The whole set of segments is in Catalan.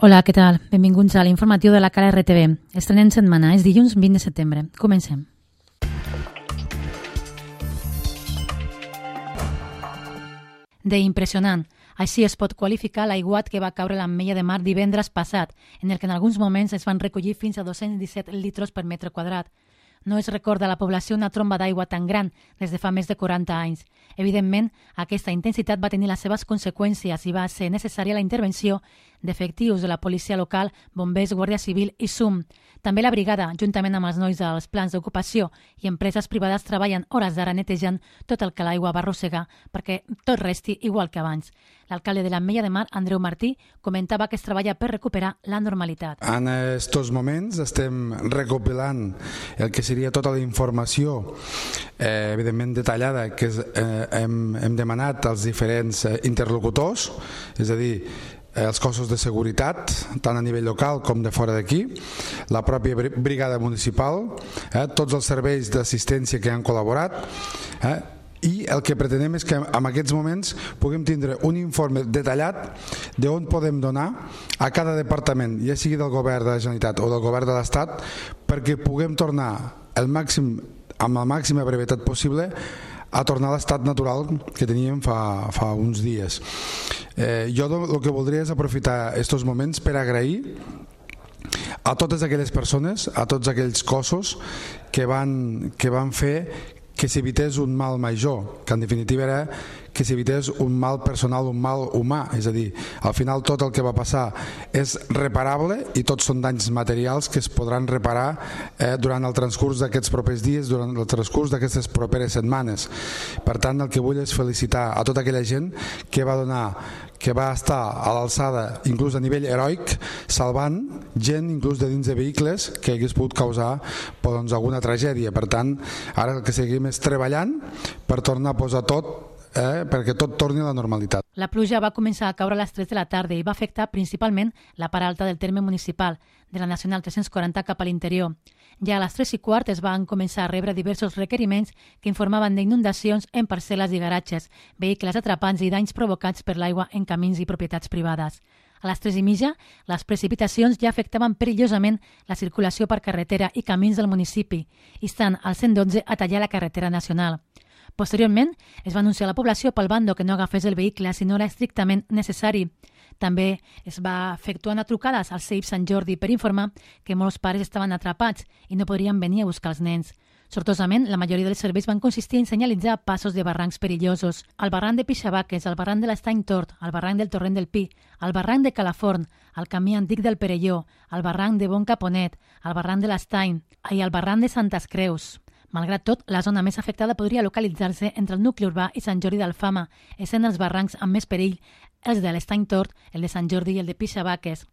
Hola, què tal? Benvinguts a l'informatiu de la Cala RTV. Estrenem setmana, és dilluns 20 de setembre. Comencem. D'impressionant. Així es pot qualificar l'aiguat que va caure a l'Ametlla de Mar divendres passat, en el que en alguns moments es van recollir fins a 217 litros per metre quadrat. No es recorda a la població una tromba d'aigua tan gran des de fa més de 40 anys. Evidentment, aquesta intensitat va tenir les seves conseqüències i va ser necessària la intervenció d'efectius de la policia local, bombers, Guàrdia Civil i SUM. També la brigada, juntament amb els nois dels plans d'ocupació i empreses privades, treballen hores d'ara netejant tot el que l'aigua va arrossegar perquè tot resti igual que abans. L'alcalde de l'Ametlla de Mar, Andreu Martí, comentava que es treballa per recuperar la normalitat. En aquests moments estem recopilant el que seria tota la informació, evidentment detallada, que hem demanat als diferents interlocutors, és a dir, els cossos de seguretat, tant a nivell local com de fora d'aquí, la pròpia brigada municipal, tots els serveis d'assistència que han col·laborat, i el que pretenem és que en aquests moments puguem tindre un informe detallat d'on podem donar a cada departament, ja sigui del govern de la Generalitat o del govern de l'Estat, perquè puguem tornar amb la màxima brevetat possible a tornar a l'estat natural que teníem fa uns dies. Jo el que voldria és aprofitar aquests moments per agrair a totes aquelles persones, a tots aquells cossos que van fer que s'evités un mal major, que en definitiva era que s'evités un mal personal, un mal humà, és a dir, al final tot el que va passar és reparable i tots són danys materials que es podran reparar durant el transcurs d'aquests propers dies, durant el transcurs d'aquestes properes setmanes. Per tant, el que vull és felicitar a tota aquella gent que va estar a l'alçada, inclús a nivell heroic, salvant gent inclús de dins de vehicles que hagués pogut causar alguna tragèdia. Per tant, ara el que seguim és treballant per tornar a posar tot perquè tot torni a la normalitat. La pluja va començar a caure a les 3 de la tarda i va afectar principalment la part alta del terme municipal, de la Nacional 340 cap a l'interior. Ja a les 3:15 es van començar a rebre diversos requeriments que informaven d'inundacions en parcel·les i garatges, vehicles atrapats i danys provocats per l'aigua en camins i propietats privades. A les 3:30, les precipitacions ja afectaven perillosament la circulació per carretera i camins del municipi, instant al 112 a tallar la carretera nacional. Posteriorment, es va anunciar a la població pel bando que no agafés el vehicle si no era estrictament necessari. També es va efectuar una trucada al CEIP Sant Jordi per informar que molts pares estaven atrapats i no podrien venir a buscar els nens. Sortosament, la majoria dels serveis van consistir en senyalitzar passos de barrancs perillosos. El barranc de Pixabaques, el barranc de l'Estany Tort, el barranc del Torrent del Pi, el barranc de Calaforn, el camí antic del Perelló, el barranc de Bon Caponet, el barranc de l'Estany i el barranc de Santes Creus. Malgrat tot, la zona més afectada podria localitzar-se entre el nucli urbà i Sant Jordi d'Alfama, essent els barrancs amb més perill els de l'Estany Tort, el de Sant Jordi i el de Pixabaques.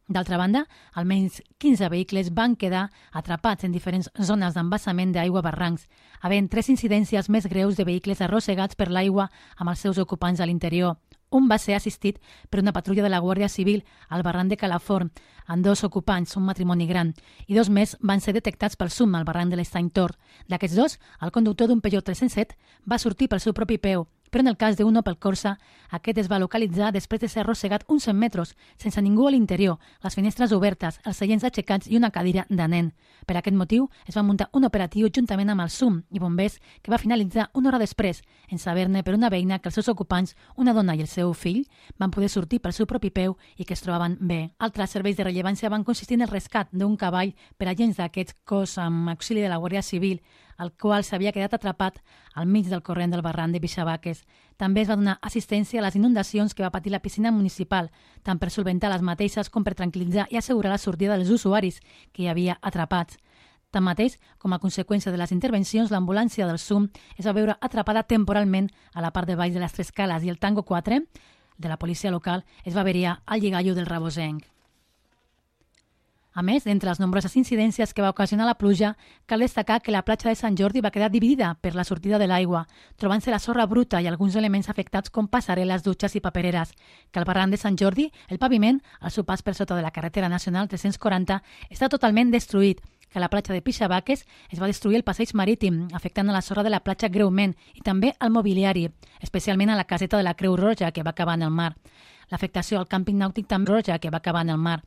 D'altra banda, almenys 15 vehicles van quedar atrapats en diferents zones d'embassament d'aigua a barrancs, havent 3 incidències més greus de vehicles arrossegats per l'aigua amb els seus ocupants a l'interior. Un va ser assistit per una patrulla de la Guàrdia Civil al barranc de Calaforn, amb 2 ocupants, un matrimoni gran, i 2 més van ser detectats pel SUM al barranc de l'Estany Tort. D'aquests 2, el conductor d'un Peugeot 307 va sortir pel seu propi peu, però en el cas d'un Opel Corsa, aquest es va localitzar després de ser arrossegat uns 100 metres, sense ningú a l'interior, les finestres obertes, els seients aixecats i una cadira de nen. Per aquest motiu, es va muntar un operatiu juntament amb el SUM i bombers que va finalitzar una hora després, en saber-ne per una veïna que els seus ocupants, una dona i el seu fill, van poder sortir pel seu propi peu i que es trobaven bé. Altres serveis de rellevància van consistir en el rescat d'un cavall per agents d'aquest cos amb auxili de la Guàrdia Civil, el qual s'havia quedat atrapat al mig del corrent del barranc de Pixabaques. També es va donar assistència a les inundacions que va patir la piscina municipal, tant per solventar les mateixes com per tranquil·litzar i assegurar la sortida dels usuaris que hi havia atrapats. Tanmateix, com a conseqüència de les intervencions, l'ambulància del SUM es va veure atrapada temporalment a la part de baix de les 3 cales i el Tango 4 de la policia local es va averiar al lligallo del Rabosenc. A més, entre les nombroses incidències que va ocasionar la pluja, cal destacar que la platja de Sant Jordi va quedar dividida per la sortida de l'aigua, trobant-se la sorra bruta i alguns elements afectats com passarel·les, dutxes i papereres, que al barranc de Sant Jordi, el paviment, al seu pas per sota de la carretera nacional 340, està totalment destruït, que a la platja de Pixabaques es va destruir el passeig marítim, afectant a la sorra de la platja greument i també al mobiliari, especialment a la caseta de la Creu Roja, que va acabar en el mar. L'afectació al càmping nàutic també roja, que va acabar en el mar.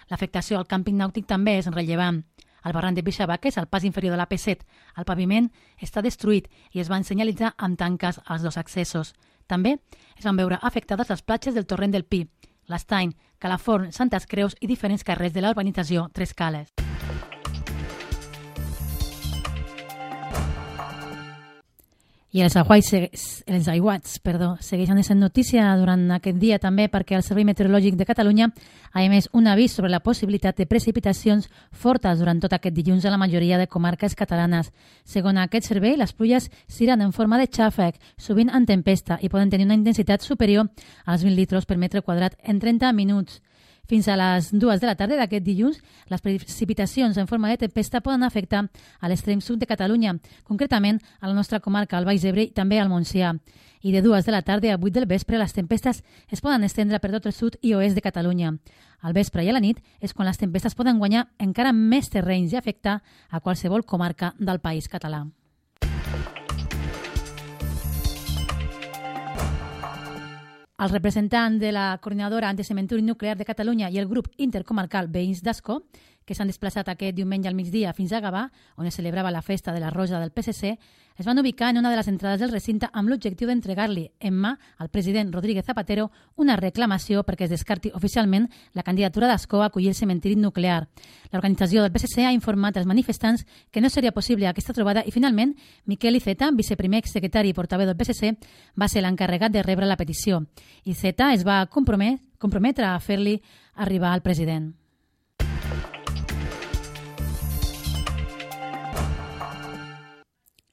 L'afectació al càmping nàutic també és rellevant. Al barranc de Pixabaques, al pas inferior de l'AP7, el paviment està destruït i es van senyalitzar amb tanques als dos accessos. També es van veure afectades les platges del torrent del Pi, l'Estany, Calaforn, Santes Creus i diferents carrers de la urbanització Tres Cales. I els aiguats segueixen sent notícia durant aquest dia també perquè el Servei Meteorològic de Catalunya ha emès un avís sobre la possibilitat de precipitacions fortes durant tot aquest dilluns a la majoria de comarques catalanes. Segons aquest servei, les pluies seran en forma de xàfec, sovint en tempesta, i poden tenir una intensitat superior als 20 litres per metre quadrat en 30 minuts. Fins a les 2 de la tarda d'aquest dilluns, les precipitacions en forma de tempesta poden afectar a l'extrem sud de Catalunya, concretament a la nostra comarca, al Baix Ebre i també al Montsià. I de 2 de la tarda a 8 del vespre, les tempestes es poden estendre per tot el sud i oest de Catalunya. Al vespre i a la nit és quan les tempestes poden guanyar encara més terrenys i afectar a qualsevol comarca del país català. Els representants de la Coordinadora Anticementiri Nuclear de Catalunya i el grup intercomarcal Veïns d'Ascó, que s'han desplaçat aquest diumenge al migdia fins a Gavà, on es celebrava la festa de la Rosa del PSC, es van ubicar en una de les entrades del recinte amb l'objectiu d'entregar-li en mà al president Rodríguez Zapatero una reclamació perquè es descarti oficialment la candidatura d'Ascó a acollir el cementiri nuclear. L'organització del PSC ha informat als manifestants que no seria possible aquesta trobada i finalment Miquel Iceta, viceprimer secretari i portaveu del PSC, va ser l'encarregat de rebre la petició. Iceta es va comprometre a fer-li arribar al president.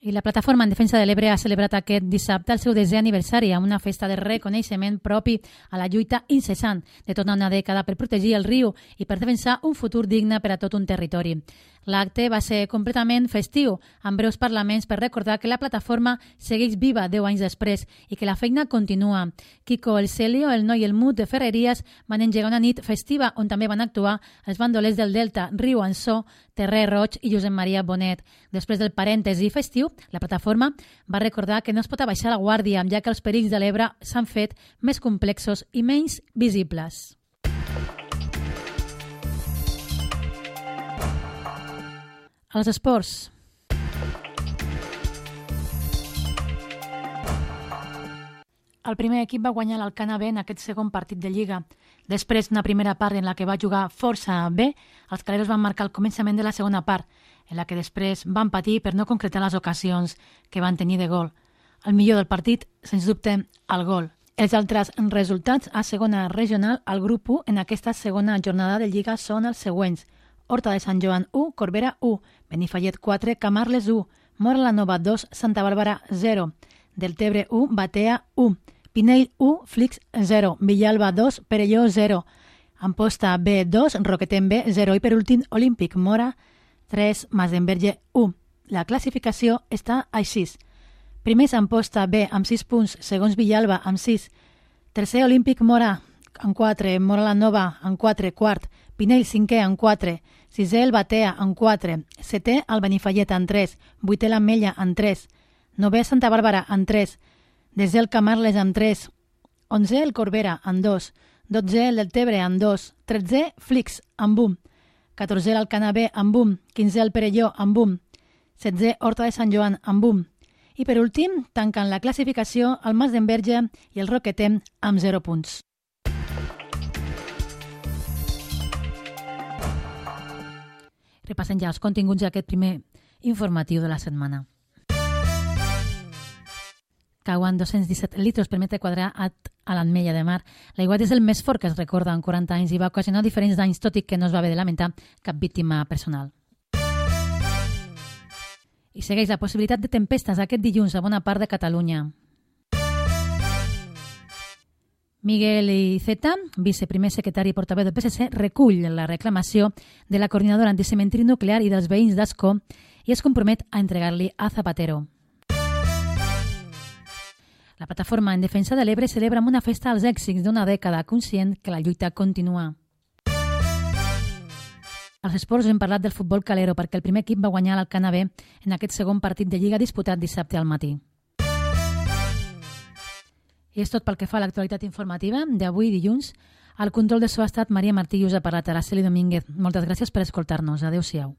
I la Plataforma en Defensa de l'Ebre ha celebrat aquest dissabte el seu 10è aniversari amb una festa de reconeixement propi a la lluita incessant de tota una dècada per protegir el riu i per defensar un futur digne per a tot un territori. L'acte va ser completament festiu, amb breus parlaments per recordar que la plataforma segueix viva 10 anys després i que la feina continua. Kiko El Celio, el Noi i el Mut de Ferreries van engegar una nit festiva on també van actuar els bandolers del Delta, Riu Ansó, Terrer Roig i Josep Maria Bonet. Després del parèntesi festiu, la plataforma va recordar que no es pot abaixar la guàrdia, ja que els perills de l'Ebre s'han fet més complexos i menys visibles. Els esports. El primer equip va guanyar l'Alcana B en aquest segon partit de Lliga. Després d'una primera part en la que va jugar força bé, els caleros van marcar el començament de la segona part, en la que després van patir per no concretar les ocasions que van tenir de gol. El millor del partit, sens dubte, el gol. Els altres resultats a segona regional al grup 1 en aquesta segona jornada de Lliga són els següents. Horta de Sant Joan 1, Corbera 1, Benifallet 4, Camarles 1, Móra la Nova 2, Santa Bàrbara 0, Deltebre 1, Batea 1, Pinell 1, Flix 0, Villalba 2, Perelló 0, Amposta B 2, Roquetem B 0 i per últim Olímpic Mora 3, Masdenverge 1. La classificació està així. Primers Amposta B amb 6 punts, segons Villalba amb 6, tercer Olímpic Mora amb 4, Móra la Nova amb 4, quart, Pinell 5è amb 4, sisè el Batea amb 4, setè el Benifallet amb 3, vuitè l'Ametlla amb 3, novè Santa Bàrbara amb 3, desè el Camarles amb 3, 11è el Corbera amb 2, 12è el Deltebre amb 2, 13è Flix amb 1, 14è l'Alcana B amb 1, 15è el Perelló amb 1, 16è Horta de Sant Joan amb 1, i per últim tanquen la classificació el Masdenverge i el Roquetem amb 0 punts. Repassem ja els continguts d'aquest primer informatiu de la setmana. Cauen 217 litres per metre quadrat a l'Ametlla de Mar. L'aiguat és el més fort que es recorda en 40 anys i va ocasionar diferents danys, tot i que no es va haver de lamentar cap víctima personal. I segueix la possibilitat de tempestes aquest dilluns a bona part de Catalunya. Miguel Iceta, viceprimer secretari i portaveu del PSC, recull la reclamació de la Coordinadora Anticementiri Nuclear i dels veïns d'Ascó i es compromet a entregar-li a Zapatero. La Plataforma en Defensa de l'Ebre celebra amb una festa als èxits d'una dècada, conscient que la lluita continua. Als esports hem parlat del futbol calero perquè el primer equip va guanyar l'Alcana B en aquest segon partit de Lliga disputat dissabte al matí. I és tot pel que fa a l'actualitat informativa d'avui dilluns. Al control de so ha estat Maria Martí i us ha parlat Araceli Domínguez. Moltes gràcies per escoltar-nos. Adéu-siau.